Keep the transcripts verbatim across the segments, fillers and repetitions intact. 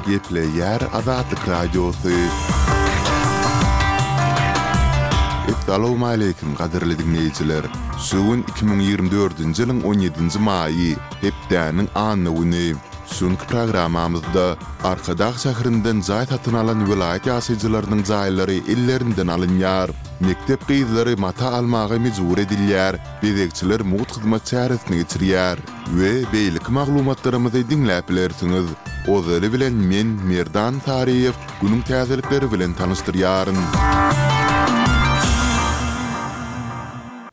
Gepleýär Azatlyk Radiosy. Essalawmaleýkim gadyrly diňleýjiler! Şu gün iki müň ýigrimi dördünji ýylyň on ýedinji maýy, hepdäniň anna güni. Şu günki programmamyzda Arkadag şäherinden jaý satyn alan welaýat ýaşaýjylarynyň jaýlary ellerinden alynýar. Mekdep gyzlary mata almaga mejbur edilýär, bezegçiler mugt hyzmat çäresini geçirýär we beýleki maglumatlarymyzy diňläp bilersiňiz. Ozaly bilen men, Merdan Saryýew, günüň täzelikleri bilen tanyşdyrýaryn.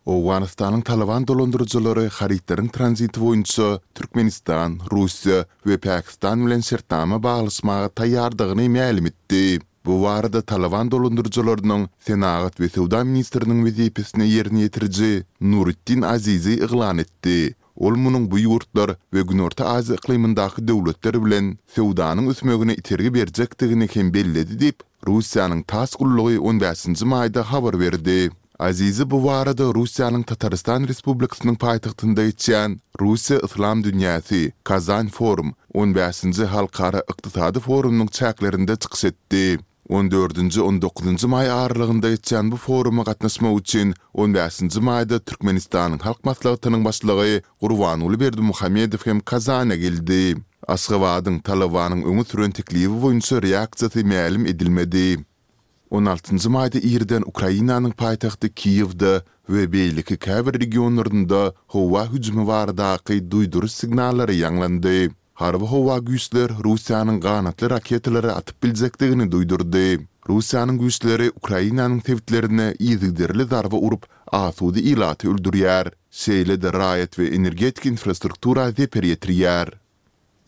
Owganystanyň Talyban dolandyryjylary harytlaryň tranziti boýunça Türkmenistan, Russiýa we Pakistan bilen şertnama baglaşmaga taýýardygyny mälim etdi. Bu barada Talyban dolandyryjylarynyň senagat we söwda ministriniň wezipesini ýerine ýetiriji Nuritdin Azizi yglan etdi. Ol munuň bu ýurtlar we Günorta Aziýa yklymyndaky döwletler bilen söwdanyň ösmegine itergi berjekdigini hem belledi diýip, Russiýanyň TASS gullugy on bäşinji maýda habar berdi. Azizi bu barada Russiýanyň Tatarystan Respublikasynyň paýtagtynda geçýän Russiýa-Yslam dünýäsi, Kazan Forum, on bäşinji halkara ykdysady forumynyň çäklerinde çykyş etdi. On dördünji-on dokuzynjy maý aralygynda geçýän bu foruma gatnaşmak üçin on bäşinji maýda Türkmenistanyň Halk Maslahatynyň Başlygy Gurbanguly Berdimuhamedow hem Kazana geldi. Aşgabadyň Talybanyň öňe süren teklibi boýunça reaksiýasy mälim edilmedi. On altynjy maýda irden Ukrainanyň paýtagty Kiýewde we beýleki käbir regionlarynda howa hüjümi baradaky duýduryş signallary ýaňlandy. Harby howa güýçler Russiýanyň ganatly raketalary atyp biljekdigini duýdurdy. Russiýanyň güýçleri Ukrainanyň sebitlerine yzygiderli zarba urup, asuda ilaty öldürýär, şeýle-de raýat we energetika infrastruktura zeper ýetirýär.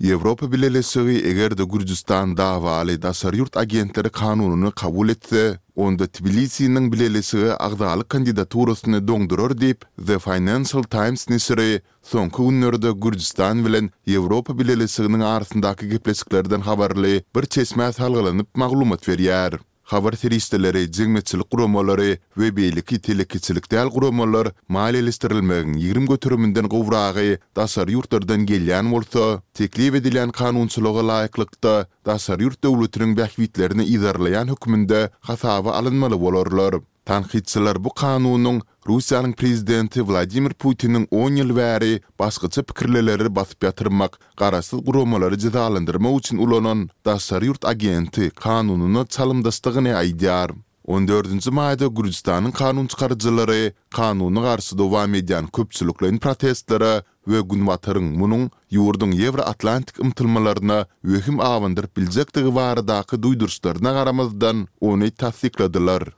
Ýewropa Bileleşigi eger-de Gürjüstan dawaly daşary ýurt agentleri kanunyny kabul etse, onda Tbilisiniň Bileleşige agzalyk kandidaturasyny doňdurar diýip, The Financial Times neşiri soňky günlerde Gürjüstan bilen Ýewropa Bileleşiginiň arasyndaky gepleşiklerden habarly bir çeşmä salgylanyp maglumat berýär. Habar serişdeleri, jemgyýetçilik guramalary we beýleki telekeçilik däl guramalar maliýeleşdirilmegiň ýigrimi göteriminden gowragy daşary ýurtlardan gelýän bolsa, teklip edilýän kanunçylyga laýyklykda daşary ýurt döwletiniň bähbitlerini yzarlaýan hökmünde hasaba alynmaly bolarlar. Tankytçylar bu kanunyň Russiýanyň prezidenti Wladimir Putiniň on ýyl bäri başgaça pikirlileri basyp ýatyrmak, garaşsyz guramalary jezalandyrmak üçin ulanan daşary ýurt agenti kanunyna çalymdaşdygyny aýdýar. On dördünji maýda Gürjüstanyň kanunçykaryjylary kanuna garşy dowam edýän köpçülikleýin protestlere we Günbataryň munuň ýurduň ýewroatlantik ymtylmalaryna wehim abandyryp biljekdigi baradaky duýduryşlaryna garamazdan, ony tassykladylar.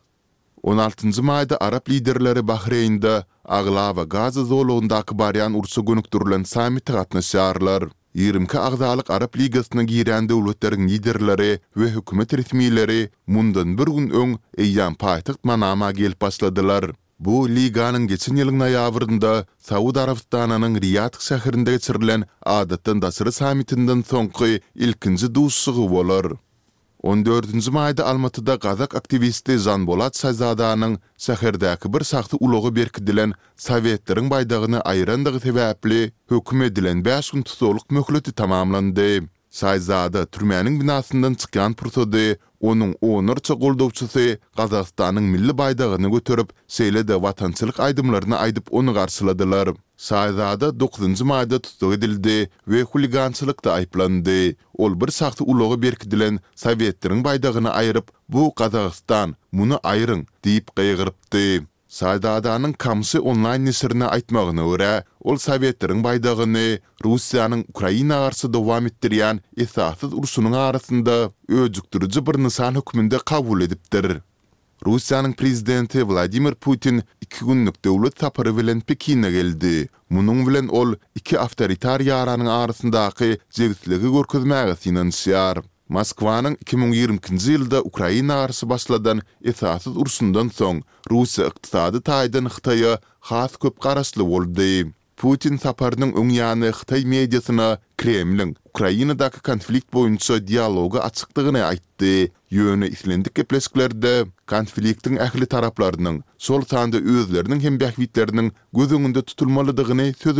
On altynjy maýda arap liderleri Bahreýnde aglaba Gaza zolagyndaky barýan urşa gönükdirilen sammite gatnaşýarlar. Ýigrimi iki agzalyk Arap Ligasyna girýän döwletleriň liderleri we hökümet resmileri mundan bir gün öň eýýäm paýtagt Manama gelip başladylar. Bu liganyň geçen ýylyň noýabrynda Saud Arabystanynyň Riýad şäherinde geçirilen adatdan daşary sammitinden soňky ilkinji duşuşygy bolar. On dördünji maýda Almatyda gazak aktiwisti Žanbolat Şazadanyň şäherdäki bir şahsy ulaga berkidilen Sowetleriň baýdagyny aýyrandygy sebäpli höküm edilen bäş gün tussaglyk möhleti tamamlandy. Şaýzada türmäniň binasyndan çykýan pursady onuň onlarça goldawçysy Gazagystanyň milli baýdagyny göterip, şeýle-de watançylyk aýdymlaryny aýdyp ony garşyladylar. Şaýzada dokuzynjy maýda tussag edildi we huligançylykda aýyplandy. Ol bir şahsy ulaga berkidilen Sowetleriň baýdagyny aýryp, Bu Gazagystan, muny aýryň! diýip gygyrypdy. Şaýzadanyň Kamşy onlaýn neşirine aýtmagyna görä, ol Sowetleriň baýdagyny Russiýanyň Ukraina garşy dowam etdirýän esassyz urşunyň arasynda öjükdiriji bir nyşan hökmünde kabul edipdir. Russiýanyň prezidenti Wladimir Putin iki günlük döwlet sapary bilen Pekine geldi. Munuň bilen ol iki awtoritar ýaranyň arasyndaky jebisligi görkezmäge synanyşýar. Moskwanyň iki müň ýigrimi ikinji ýylda Ukraina garşy başladan esassyz urşundan soň, Russiýa ykdysady taýdan Hytaýa has köp garaşly boldy. Putin saparynyň öň ýany hytaý mediasyna Kremliň Ukrainadaky konflikt boýunça dialoga açykdygyny aýtdy, ýöne islendik gepleşiklerde konfliktiň ähli taraplarynyň, şol sanda özleriniň hem bähbitleriniň göz öňünde tutulmalydygyny sözüne